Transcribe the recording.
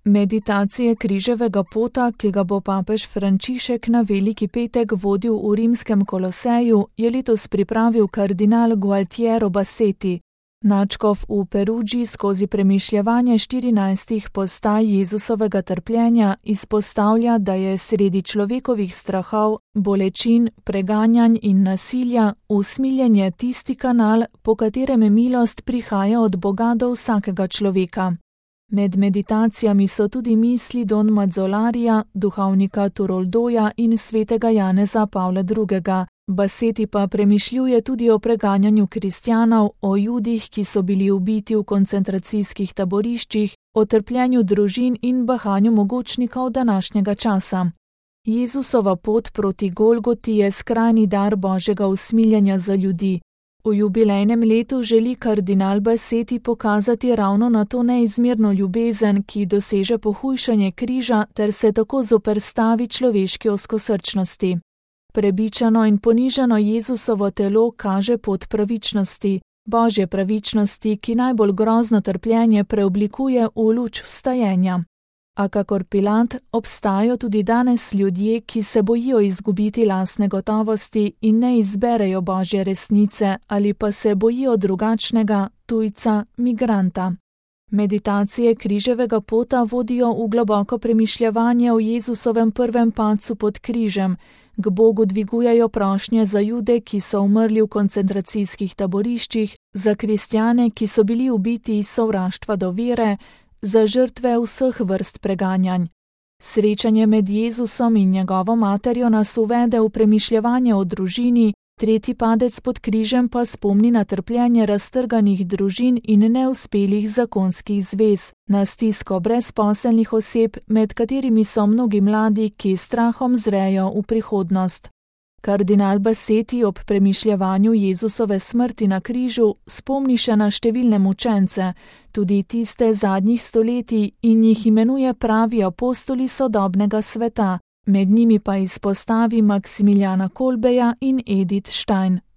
Meditacije križevega pota, ki ga bo papež Frančišek na Veliki petek vodil v rimskem Koloseju, je letos pripravil kardinal Gualtiero Bassetti. Nadškof v Perugii skozi premišljevanje 14 postaj Jezusovega trpljenja izpostavlja, da je sredi človekovih strahov, bolečin, preganjanj in nasilja usmiljenje tisti kanal, po katerem milost prihaja od Boga do vsakega človeka. Med meditacijami so tudi misli Don Mazzolarija, duhovnika Turoldoja in svetega Janeza Pavla II. Bassetti pa premišljuje tudi o preganjanju kristjanov, o Judih, ki so bili ubiti v koncentracijskih taboriščih, o trpljenju družin in bahanju mogočnikov današnjega časa. Jezusova pot proti Golgoti je skrajni dar Božjega usmiljenja za ljudi. V jubilejnem letu želi kardinal Bassetti pokazati ravno na to neizmerno ljubezen, ki doseže pohujšanje križa ter se tako zoperstavi človeški ozkosrčnosti. Prebičano in ponižano Jezusovo telo kaže pot pravičnosti, Božje pravičnosti, ki najbolj grozno trpljenje preoblikuje v luč vstajenja. A kakor Pilat, obstajajo tudi danes ljudje, ki se bojijo izgubiti lastne gotovosti in ne izberejo Božje resnice ali pa se bojijo drugačnega, tujca, migranta. Meditacije križevega pota vodijo v globoko premišljevanje o Jezusovem prvem padcu pod križem, k Bogu dvigujejo prošnje za Jude, ki so umrli v koncentracijskih taboriščih, za kristjane, ki so bili ubiti iz sovraštva do vere, za žrtve vseh vrst preganjanj. Srečanje med Jezusom in njegovo materjo nas uvede v premišljevanje o družini, tretji padec pod križem pa spomni na trpljenje raztrganih družin in neuspelih zakonskih zvez, na stisko brezposelnih oseb, med katerimi so mnogi mladi, ki strahom zrejo v prihodnost. Kardinal Bassetti ob premišljevanju Jezusove smrti na križu spomni še na številne mučence, tudi tiste zadnjih stoletij, in jih imenuje pravi apostoli sodobnega sveta, med njimi pa izpostavi Maksimiljana Kolbeja in Edith Stein.